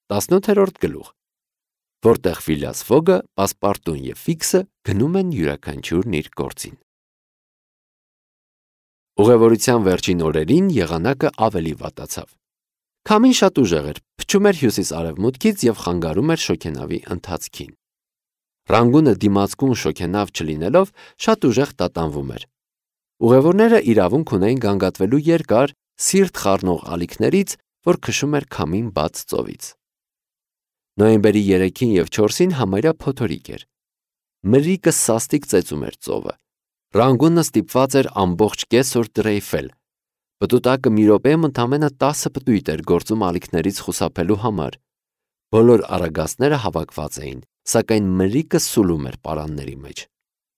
18-րդ գլուխ, որտեղ Ֆիլիաս Ֆոգը, Պասպարտուն և Ֆիքսը գնում են յուրաքանչյուրն իր գործին։ Ուղևորության վերջին օրերին եղանակը ավելի վատացավ։ Քամին շատ ուժեղ էր, փչում էր հյուսիս-արևմուտքից և խանգարում էր շոգենավի ընթացքին։ Ռանգունը դիմացկուն շոգենավ չլինելով շատ ուժեղ տատանվում էր։ Ուղևորները իրավունք ունեին գանգատվելու երկար, սիրտ խառնող ալիքներից, որ քշում էր քամին բաց ծովից։ Նոյեմբերի 3-ին և 4-ին համարյա փոթորիկ էր։ Մրրիկը սաստիկ ծեծում էր ծովը։ Ռանգունը ստիպված էր ամբողջ կեսօր դրեյֆել։ Պտուտակը մի րոպեում ընդամենը 10 պտույտ էր գործում ալիքներից խուսափելու համար։ Բոլոր արագածները հավաքված էին, սակայն մրրիկը սուլում էր պարանների մեջ։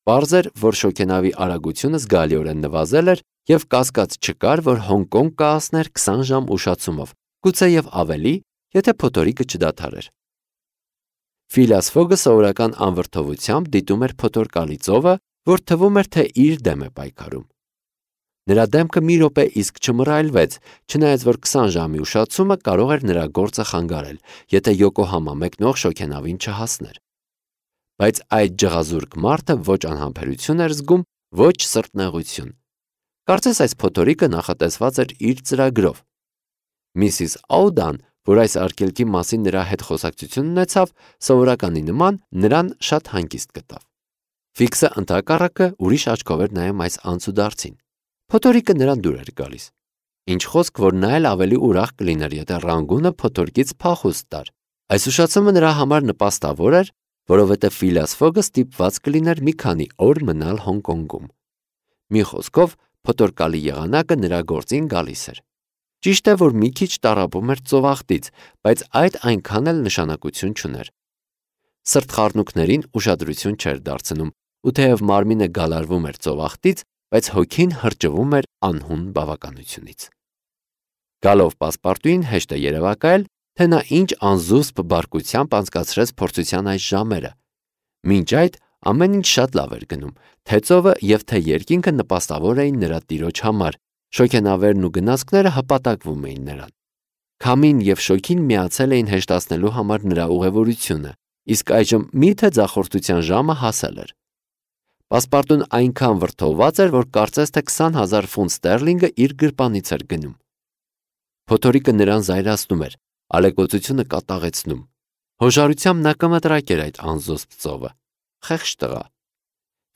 Պարզ էր, որ շոգենավի արագությունը զգալիորեն նվազել էր և կասկած չկար, որ Հոնկոնգ կհասներ 20 ժամ ուշացումով, գուցեև ավելի, եթե փոթորիկը չդադարեր։ Ֆիլիաս Ֆոգը սովորական անվրդովությամբ դիտում էր փոթորկալի ծովը, որ թվում էր, թե իր դեմ է պայքարում։ Նրա դեմքը մի րոպե իսկ չմռայլվեց, չնայած որ 20 ժամի ուշացումը կարող էր նրա գործը խանգարել, եթե Յոկոհամա մեկնող շոգենավին չհասներ։ Բայց այդ ջղազուրկ մարդը ոչ անհամբերություն էր զգում, ոչ սրտնեղություն։ Կարծես այս փոթորիկը նախատեսված էր իր ծրագրով։ Միսիս Աուդան, որ այս արգելքի մասին նրա հետ խոսակցություն ունեցավ, սովորականի նման նրան շատ հանգիստ գտավ։ Ֆիքսը ընդհակառակը ուրիշ աչքով էր նայում այս անցուդարձին։ Փոթորիկը նրան դուր էր գալիս։ Ինչ խոսք, որ նա էլ ավելի ուրախ կլիներ, եթե Ռանգունը փոթորկից փախուստ տար։ Այս ուշացումը նրա համար նպաստավոր էր, որովհետև Ֆիլիաս Ֆոգը ստիպված կլիներ մի քանի օր մնալ Հոնկոնգում։ Մի խոսքով, փոթորկալի եղանակը նրա գործին գալիս էր։ Ճիշտ է, որ մի քիչ տառապում էր ծովախտից, բայց այդ այնքան էլ նշանակություն չուներ։ Սրտխառնուրդներին ուշադրություն չէր դարձնում, ու թեև մարմինը գալարվում էր ծովախտից, բայց հոգին հրճվում էր անհուն բավականությունից։ Գալով Պասպարտուին հեշտ է երևակայել, թե նա ինչ անզուսպ բարկությամբ անցկացրեց փորձության այս ժամերը։ Մինչ այդ ամեն ինչ շատ լավ էր գնում, թե ծովը և թե երկինքը նպաստավոր էին նրա տիրոջ համար, շոգենավերն ու գնացքները հպատակվում էին նրան։ Քամին և շոգին միացել էին հեշտացնելու համար նրա ուղևորությունը, իսկ այժմ միթե ձախորդության ժամը հասել էր։ Պասպարտուն այնքան վրդովված էր, որ կարծես թե 20,000 ֆունտ ստերլինգը իր գրպանից էր գնում։ Փոթորիկը նրան զայրացնում էր, ալեկոծությունը կատաղեցնում։ Հոժարությամբ նա կմտրակեր այդ անզուսպ ծովը։ Խեղճ տղա։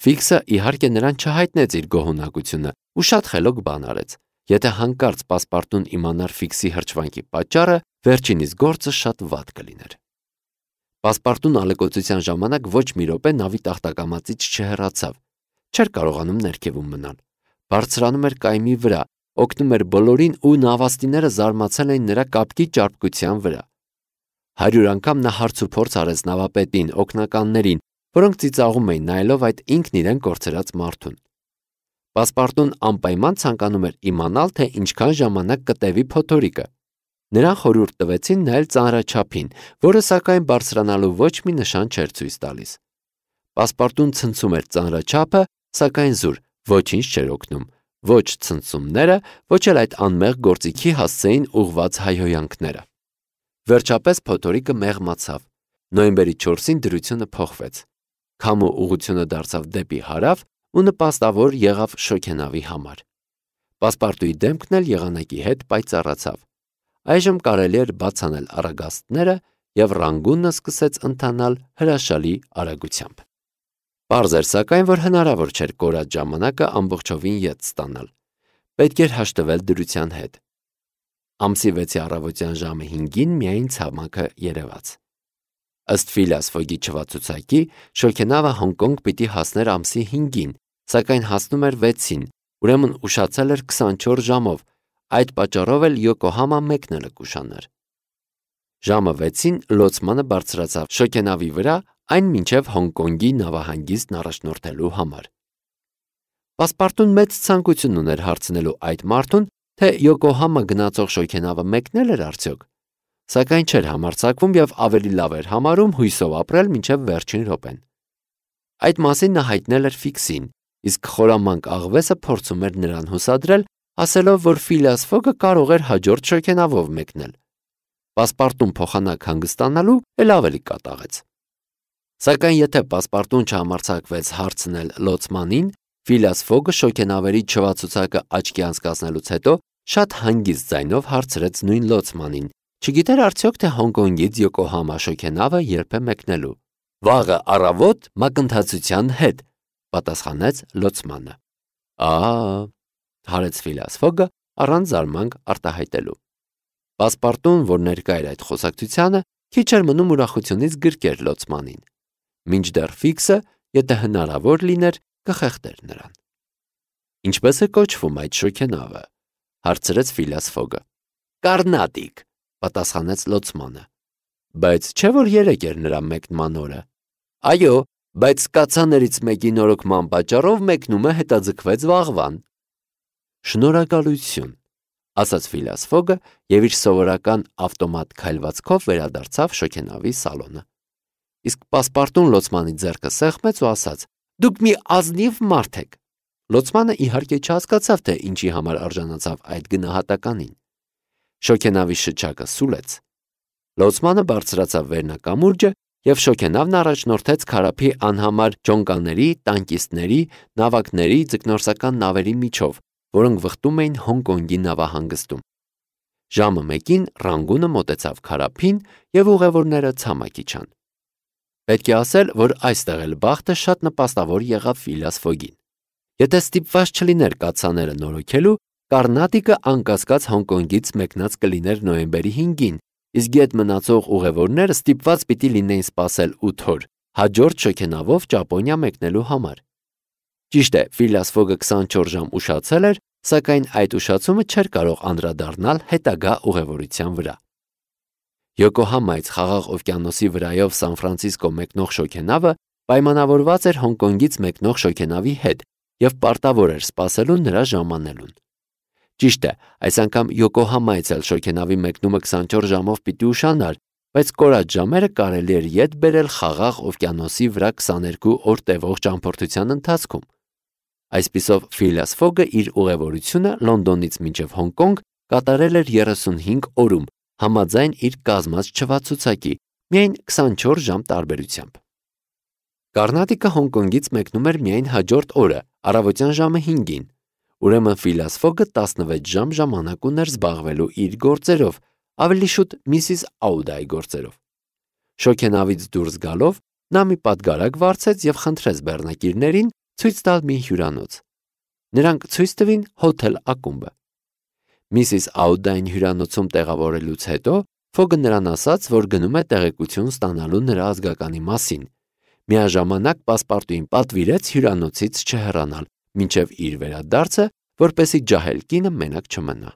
Ֆիքսը իհարկե նրան չհայտնեց իր գոհունակությունը ու շատ խելոք բան արեց։ Եթե հանկարծ Պասպարտուն իմանար Ֆիքսի հրճվանքի պատճառը, վերջինիս գործը շատ վատ կլիներ։ Պասպարտուն ալեկոծության ժամանակ ոչ մի րոպե նավի տախտակամածից չհեռացավ։ Չէր կարողանում ներքևում մնալ։ Բարձրանում էր կայմի վրա, օգնում էր բոլորին ու նավաստիները զարմացել էին նրա կապկի ճարպկության վրա։ 100 անգամ նա հարց ու փորձ արեց նավապետին, օգնականներին, որոնք ծիծաղում էին նայելով այդ ինքն իրեն կորցրած մարդուն։ Պասպարտուն անպայման ցանկանում էր իմանալ, թե ինչքան ժամանակ կտևի փոթորիկը։ Նրան խորհուրդ տվեցին նայել ծանրաչափին, որը սակայն բարձրանալու ոչ մի նշան չէր ցույց տալիս։ Պասպարտուն ցնցում էր ծանրաչափը, սակայն զուր, ոչինչ չէր օգնում, ոչ ցնցումները, ոչ էլ այդ անմեղ գործիքի հասցեին ուղված հայհոյանքները։ Վերջապես փոթորիկը մեղմացավ։ Նոյեմբերի 4-ին դրությունը փոխվեց։ Քամու ուղղությունը դարձավ դեպի հարավ ու նպաստավոր եղավ շոգենավի համար։ Պասպարտուի դեմքն էլ եղանակի հետ պայծառացավ։ Այժմ կարելի էր բաց անել առագաստները և Ռանգունը սկսեց ընթանալ հրաշալի արագությամբ։ Պարզ էր սակայն, որ հնարավոր չէր կորած ժամանակը ամբողջովին ետ ստանալ։ Պետք էր հաշտվել դրության հետ։ Ամսի 6-ի առավոտյան ժամը 5-ին միայն ցամաքը երևաց։ Ըստ Ֆիլիաս Ֆոգի չվացուցակի, շոգենավը Հոնկոնգ պիտի հասներ ամսի 5-ին, սակայն հասնում էր 6-ին, ուրեմն ուշացել էր 24 ժամով, այդ պատճառով էլ Յոկոհամա մեկնելը կուշանար։ Ժամը 6-ին լոցմանը բարձրացավ շոգենավի վրա, այն մինչև Հոնկոնգի նավահանգիստն առաջնորդելու համար։ Պասպարտուն մեծ ցանկություն ուներ հարցնելու այդ մարդուն, թե Յոկոհամա գնացող շոգենավը մեկնել էր արդյոք, սակայն չէր համարձակվում և ավելի լավ էր համարում հույսով ապրել մինչև վերջին րոպեն։ Այդ մասին նա հայտնել էր Ֆիքսին, իսկ խորամանկ աղվեսը փորձում էր նրան հուսադրել, ասելով, որ Ֆիլիաս Ֆոգը կարող էր հաջորդ շոգենավով մեկնել։ Պասպարտուն փոխանակ հանգստանալու էլ ավելի կատաղեց։ Սակայն եթե պասպարտուն չհամարձակվեց հարցնել լոցմանին, Ֆիլիաս Ֆոգը շոգենավերի չվացուցակը աչքի անցկացնելուց հետո շատ հանգիստ ձայնով հարցրեց նույն լոցմանին, չգիտեր արդյոք թե Հոնկոնգից Յոկոհամա շոգենավը երբ է մեկնելու։ Վաղը առավոտ մակընթացության հետ, պատասխանեց լոցմանը։ Հարեց Ֆիլիաս Ֆոգը առանց զարմանք արտահայտելու։ Պասպարտուն, որ ներկա էր այդ խոսակցությանը, քիչ էր մնում ուրախությունից գրկեր լոցմանին։ Մինչդեռ Ֆիքսը, եթե հնարավոր լիներ, կխեղդեր նրան։ Ինչպես է կոչվում այդ շոգենավը, հարցրեց Ֆիլիաս Ֆոգը։ Կարնատիկ, պատասխանեց լոցմանը։ Բայց չէ՞ որ երեկ էր նրա մեկնման օրը։ Այո, բայց կացաներից մեկի նորոգման պատճառով մեկնումը հետաձգվեց վաղվան։ Շնորհակալություն, ասաց Ֆիլիաս Ֆոգը եւ իր սովորական ավտոմատ քայլվածքով վերադարձավ շոգենավի սալոնը։ Իսկ պասպարտուն լոցմանի ձեռքը սեղմեց ու ասաց. Դուք մի ազնիվ մարդ եք։ Լոցմանը իհարկե չհասկացավ, թե ինչի համար արժանացավ այդ գնահատականին։ Շոգենավի շչակը սուլեց։ Լոցմանը բարձրացավ վերնակամուրջը եւ շոգենավն առաջնորդեց քարափի անհամար ջոնկաների, տանկիստների, նավակների, ձկնորսական նավերի միջով, որոնք վխտում էին Հոնկոնգի նավահանգստում։ Ժամը 1-ին Ռանգունը մոտեցավ քարափին եւ ուղևորները ցամաք իջան։ Պետք է ասել, որ այստեղ էլ բախտը շատ նպաստավոր եղավ Ֆիլիաս Ֆոգին։ Եթե ստիպված չլիներ կացաները նորոգելու, Կարնատիկը անկասկած Հոնկոնգից մեկնած կլիներ նոյեմբերի 5-ին, իսկ իդ մնացող ուղևորները ստիպված պիտի լինեին սպասել 8 օր, հաջորդ շոգենավով Ճապոնիա մեկնելու համար։ Ճիշտ է, Ֆիլիաս Ֆոգը 24 ժամ ուշացել էր, սակայն այդ ուշացումը չէր կարող անդրադառնալ հետագա ուղևորության վրա։ Յոկոհամայից Խաղաղ օվկիանոսի վրայով Սան Ֆրանցիսկո մեկնող շոգենավը պայմանավորված էր Հոնկոնգից մեկնող շոգենավի հետ եւ պարտավոր էր սպասելու նրա ժամանելուն։ Ճիշտ է, այս անգամ Յոկոհամայից էլ շոգենավի մեկնումը 24 ժամով պիտի ուշանար, բայց կորած ժամերը կարելի էր ետ բերել Խաղաղ օվկիանոսի վրա 22 օր տևող ճամփորդության ընթացքում։ Այսպիսով Ֆիլիաս Ֆոգը իր ուղևորությունը Լոնդոնից մինչև Հոնկոնգ կատարել էր 35 օրում, համաձայն իր կազմած չվացուցակի, միայն 24 ժամ տարբերությամբ։ Կարնատիկը Հոնկոնգից մեկնում էր միայն հաջորդ օրը, առավոտյան ժամը 5-ին։ Ուրեմն Ֆիլիաս Ֆոգը 16 ժամ ժամանակ ուներ զբաղվելու իր գործերով, ավելի շուտ Միսիս Աուդայի գործերով։ Շոգենավից դուրս գալով նա մի պատգարակ վարձեց եւ խնդրեց բեռնակիրներին ցույց տալ մի հյուրանոց։ Նրանք ցույց տվին հոթել ակումբը։ Միսիս Աուդային հյուրանոցում տեղավորելուց հետո Ֆոգը նրան ասաց, որ գնում է տեղեկություն ստանալու նրա ազգականի մասին։ Միաժամանակ պասպարտուին պատվիրեց հյուրանոցից չհեռանալ, մինչև իր վերադարձը, որպեսզի ջահել կինը մենակ չմնա։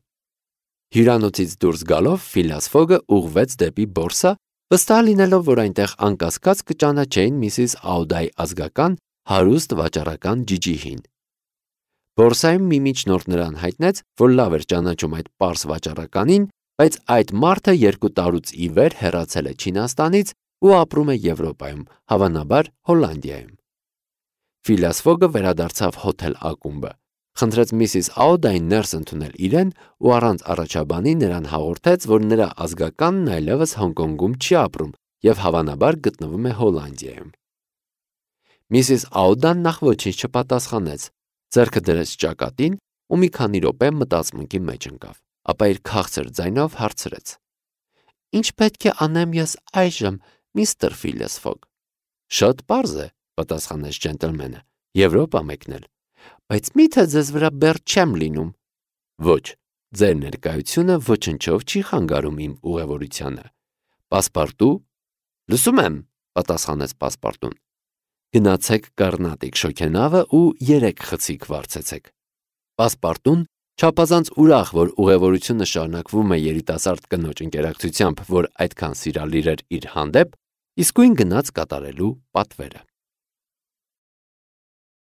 Հյուրանոցից դուրս գալով Ֆիլիաս Ֆոգը ուղղվեց դեպի բորսա, վստահ լինելով, որ այնտեղ անկասկած կճանաչեին Միսիս Աուդայի ազգական հարուստ վաճառական ջիջիհին։ Բորսայում մի միջնորդ նրան հայտնեց, որ լավ էր ճանաչում այդ պարս վաճառականին, բայց այդ մարդը 2 տարուց ի վեր հեռացել է Չինաստանից ու ապրում է Եվրոպայում, հավանաբար Հոլանդիայում։ Ֆիլիաս Ֆոգը վերադարձավ հոթել ակումբը, խնդրեց Միսիս Աուդային ներս ընդունել իրեն ու առանց առաջաբանի նրան հաղորդեց, որ նրա ազգականն այլևս Հոնկոնգում չի ապրում եւ հավանաբար գտնվում է Հոլանդիայում։ Միսիս Աուդան նախ ոչինչ չպատասխանեց, ձեռքը դրեց ճակատին ու մի քանի րոպե մտածմունքի մեջ ընկավ, ապա իր քաղցր ձայնով հարցրեց. Ինչ պետք է անեմ ես այժմ, միստր Ֆիլիաս Ֆոգ։ Շատ պարզ է, պատասխանեց ջենտլմենը, Եվրոպա մեկնել, բայց միթե ձեզ վրա բեռ չեմ լինում։ Ոչ, ձեր ներկայությունը ոչնչով չի խանգարում իմ ուղևորությանը։ Պասպարտու։ Լսում եմ, պատասխանեց պասպարտուն։ Գնացեք Կարնատիկ շոգենավը ու 3 խցիկ վարձեցեք։ Պասպարտուն, չափազանց ուրախ, որ ուղևորությունը շարունակվում է երիտասարդ կնոջ ընկերակցությամբ, որ այդքան սիրալիր էր իր հանդեպ, իսկույն գնաց կատարելու պատվերը։